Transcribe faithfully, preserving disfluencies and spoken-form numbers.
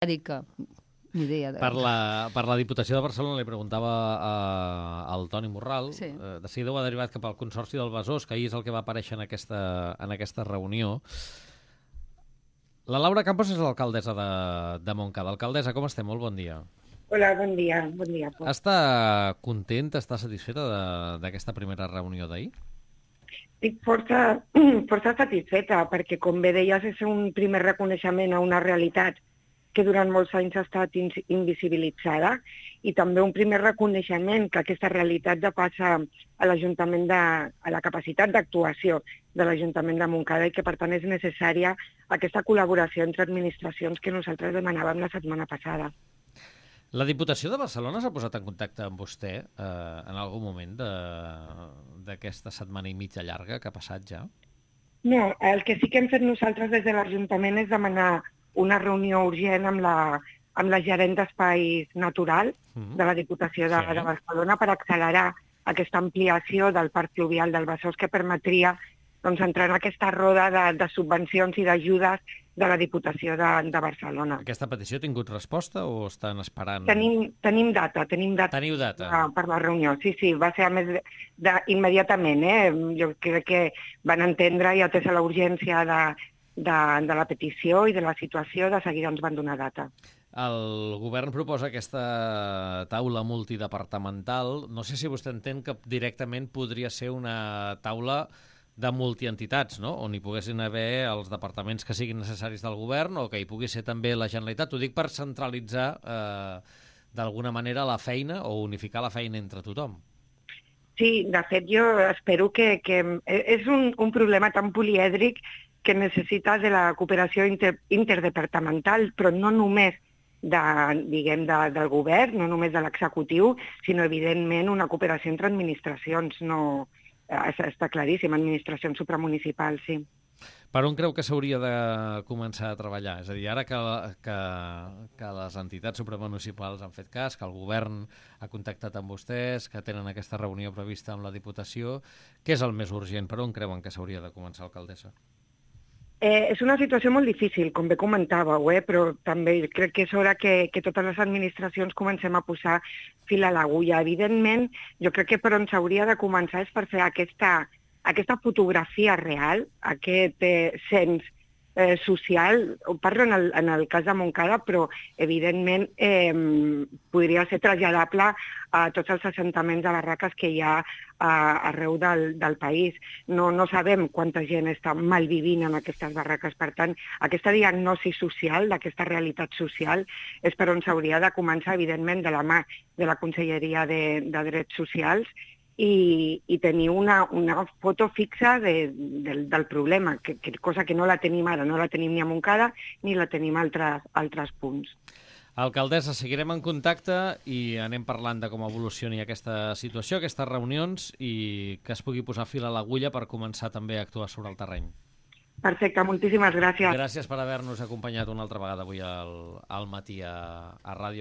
Erika, ni idea. De... Per la, per la Diputació de Barcelona li preguntava eh, al Toni Morral, Sí. eh, de seguida ho ha derivat cap al Consorci del Besòs, que ahir és el que va aparèixer en aquesta, en aquesta reunió. La Laura Campos és l'alcaldessa de, de Montcada. Alcaldessa, com estem? Molt bon dia. Hola, bon dia. Bon dia, Pol. Està content, està satisfeta d'aquesta primera reunió d'ahir? Estic força, força satisfeta, perquè, com bé deies, és un primer reconeixement a una realitat que durant molts anys ha estat invisibilitzada, i també un primer reconeixement que aquesta realitat depassa a l'Ajuntament de, a la capacitat d'actuació de l'Ajuntament de Montcada, i que, per tant, és necessària aquesta col·laboració entre administracions que nosaltres demanàvem la setmana passada. La Diputació de Barcelona s'ha posat en contacte amb vostè eh, en algun moment d'aquesta setmana i mitja llarga que ha passat ja? No, el que sí que hem fet nosaltres des de l'Ajuntament és demanar una reunió urgent amb la, amb la gerent d'Espais Natural mm-hmm. de la Diputació de, sí. de Barcelona per accelerar aquesta ampliació del parc fluvial del Besòs, que permetria doncs, entrar en aquesta roda de, de subvencions i d'ajudes de la Diputació de, de Barcelona. Aquesta petició ha tingut resposta o estan esperant? Tenim, tenim data, tenim data, Teniu data. Per, per la reunió. Sí, sí, va ser a més de, de, immediatament. Eh? Jo crec que van entendre i atesa la urgència de, de, de la petició i de la situació, de seguida ens van donar data. El govern proposa aquesta taula multidepartamental. No sé si vostè entén que directament podria ser una taula de multientitats, no? On hi poguessin haver els departaments que siguin necessaris del govern o que hi pugui ser també la Generalitat. Ho dic per centralitzar eh, d'alguna manera la feina o unificar la feina entre tothom. Sí, de fet jo espero que, que és un, un problema tan polièdric que necessita de la cooperació inter, interdepartamental, però no només de, diguem, de, del govern, no només de l'executiu, sinó evidentment una cooperació entre administracions, no... Està claríssim, administracions supramunicipals, sí. Per on creu que s'hauria de començar a treballar? És a dir, ara que, que, que les entitats supramunicipals han fet cas, que el govern ha contactat amb vostès, que tenen aquesta reunió prevista amb la Diputació, què és el més urgent? Per on creuen que s'hauria de començar, alcaldessa? Eh, és una situació molt difícil, com bé comentàveu, eh? Però també crec que és hora que, que totes les administracions comencem a posar fil a l'agulla. Evidentment, jo crec que per on s'hauria de començar és per fer aquesta, aquesta fotografia real, aquest eh, cens eh, social. Ho parlo en el, en el cas de Montcada, però evidentment eh, podria ser traslladable a tots els assentaments de barraques que hi ha a, arreu del, del país. No, no sabem quanta gent està malvivint en aquestes barraques. Per tant, aquesta diagnosi social, d'aquesta realitat social, és per on s'hauria de començar, evidentment, de la mà de la Conselleria de, de Drets Socials, i, i tenir una, una foto fixa de, del, del problema, que, que, cosa que no la tenim ara, no la tenim ni a Montcada ni la tenim a altres, altres punts. Alcaldessa, seguirem en contacte i anem parlant de com evolucioni aquesta situació, aquestes reunions, i que es pugui posar fil a l'agulla per començar també a actuar sobre el terreny. Perfecte, moltíssimes gràcies. Gràcies per haver-nos acompanyat una altra vegada avui al, al matí a, a Ràdio